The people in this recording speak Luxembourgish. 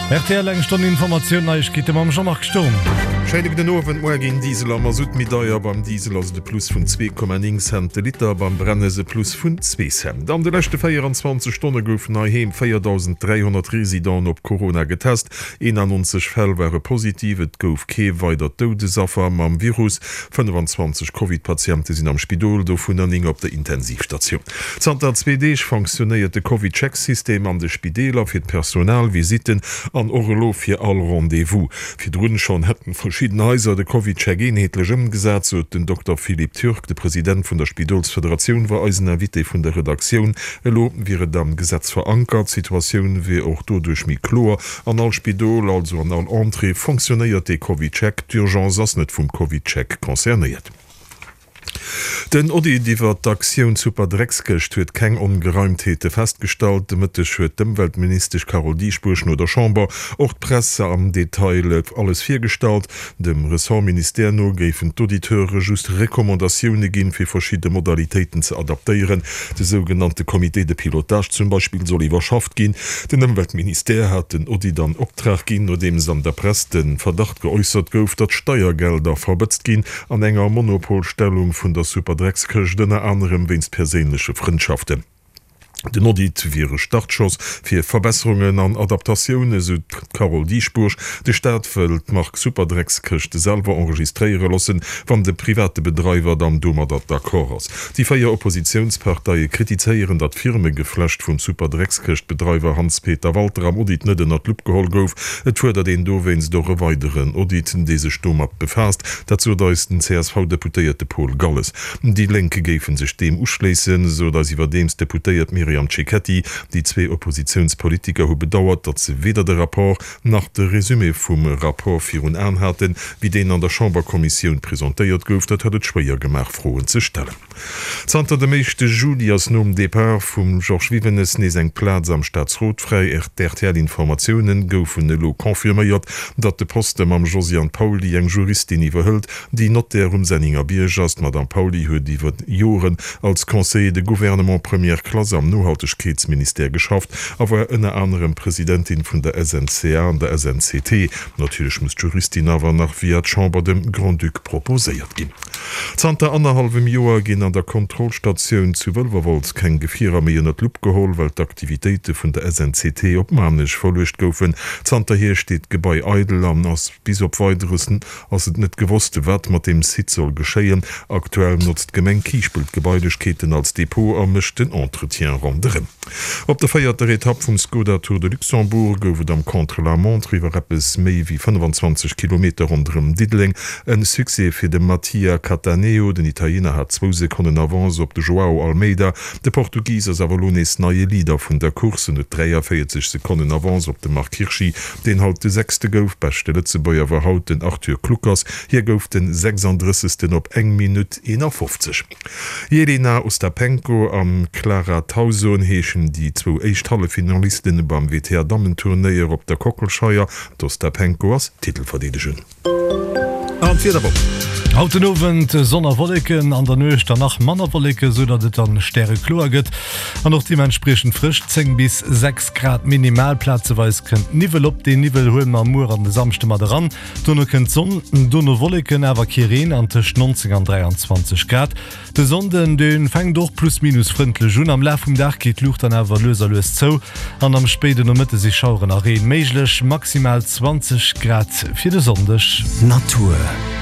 Rtl, Eng Stonn Informatioun, Neiegkeete mam Jean-Marc Sturm. Schéine gudden Owend. Moar ginn Diesel a Masutt méi deier. Beim Diesel ass et e Plus vun 2,9 Cent de Liter, beim Brennes e Plus vun zwee Cent. An de leschte 24 Stonne goufen heiheem 4.300 Residenten op Corona getest. 91 Fäll ware positiv, et gouf kee weidert Doudesaffer mam Virus. 25 Covid-Patiente sinn am Spidol, dovunner 9 op der Intensivstatioun. Zanter zwee Deeg fonctionnéiert de CovidCheck-System an de Spideeler fir d'Personal, Visitten an och elo fir all Rendez-vous. Virdrun schonn hätten verschidden Haiser de CovidCheck eenheetlech ëmgesat, sot den Dokter Philippe Türk. De President vun der Spidolsfederatioun war eisen Invité vun der Redaktioun. Elo wier et am Gesetz verankert, d'Situatioun wier och doduerch méi kloer. An all Spidol, also an all Entrée, fonctionnéiert dee CovidCheck. D'Urgence ass net vum CovidCheck concernéiert. Den Audit iwwer d'Aktioun Superdreckskëscht huet keng Ongereimtheete festgestallt. De Mëtteg huet d'Ëmweltministesch Carole Dieschbourg no der Chamber och d'Press am Detail alles virgestallt. Dem Ressortministère no géifen d'Auditeure just Recommandatioune ginn, fir verschidde Modalitéiten ze adaptéieren. De sougenannte Comité de pilotage zum Beispill soll iwwerschafft ginn. Den Ëmweltministère hat den Audit an Optrag ginn, nodeems an der Press de Verdacht geäussert gouf, datt Steiergelder verbëtzt ginn an enger Monopolstellung vun der Superdreckskëscht, ënner anerem wéinst perséinleche Frëndschaften. Den Audit wier e Startschoss fir Verbesserungen an Adaptatioune, sou d'Carole Dieschbourg. De Staat wëll d'Mark Superdreckskëscht selwer enregistréiere loossen, wann de private Bedreiwer dann domadder d'accord ass. Déi 4 Oppositiounsparteie kritizéieren, datt d'Firmegeflecht vum Superdreckskëscht-Bedreiwer Hans-Peter Walter am Audit net ënner d'Lupp geholl gouf. Et fuerdert een dowéinst och e weideren Audit, dee sech domat befaasst. Dat sot eis den CSV-Deputéierte Paul Galles. Déi Lénk géife sech deem uschléissen, sot eis iwwerdeems d'Deputéiert Myriam Cecchetti. Déi zwee Oppositiounspolitiker hu bedauert, datt se weder de Rapport nach de Resumé vum Rapport virun Aen haten, wéi deen an der Chamberkommissioun presentéiert gouf. Dat hätt et schwéier gemaach, Froen ze stellen. Zanter dem éischte Juli ass nom Depart vum Georges Wivenes nees eng Plaz am Staatsrot fräi. RTL-Informatioune goufen elo confirméiert, datt de Poste mam Josiane Pauly eng Juristin iwwerhëlt, déi Notaire um Senningerbierg ass. D'Madame Pauly huet iwwer Joren als Conseiller de gouvernement première classe am Nohaltegkeetsministère geschafft a war ënner anerem Presidentin vun der SNCA an der SNCT. Natierlech muss d'Juristin awer nach via d'Chamber dem Grand-Duc proposéiert ginn. Zanter annerhallwem Joer ginn an der Kontrollstatioun zu Wëlwerwolz keng Gefierer méi ënner d'Lupp geholl, well d'Aktivitéite vun der SNCT op Maarnech verluecht goufen. Zanterhier steet d'Gebai eidel an ass bis op Weideres ass et net gewosst, wat mat deem Site soll geschéien. Aktuell notzt d'Gemeng Kiischpelt d'Gebailechkeeten als Depot a mécht den Entretien ronderëm. Op der véierter Etapp vum Skoda Tour de Luxembourg gouf et am Contre-la-montre iwwer eppes méi wéi 25 Kilometer ronderëm Diddeleng en Succès fir de Mattia Cattaneo. Den Italiener hat zwou Sekonnen Avance op de Joao Almeida. De Portugis ass awer elo nees neie Leader vun der Course en huet 43 Sekonnen Avance op de Marc Hirschi. Deen haut de Sechste gouf. Beschte Lëtzebuerger war haut den Arthur Kluckers, hie gouf den 36. op eng Minutt 51. Jelena Ostapenko an Clara Tauson heeschen déi zwou éischt Halleffinalisten beim WTA-Dammenturnéier op der Kockelscheier. D'Ostapenko ass Titelverdeedegen. An d'Wiederwoch. Haut den Owend Sonn a Wolleken, an der Nuecht dann nach manner Wolleken, sou datt et dann stärekloer gëtt an och deementspriechend frësch, 10 bis 6 Grad minimal. Plazeweis kënnt Niwwel op, deen Niwwel huele mer muer an de Samschde mat eran. Dono kënnt d'Sonn, dono Wolleken, awer kee Reen an tëscht 19 an 23 Grad. De Sonnden, dee fänkt och plus minus frëndlech un. Am Laf vum Dag geet d'Luucht dann awer lues a lues zou an am spéiden Nomëtte si Schaueren a Reen méiglech. Maximal 20 Grad fir de Sonndeg. Natur.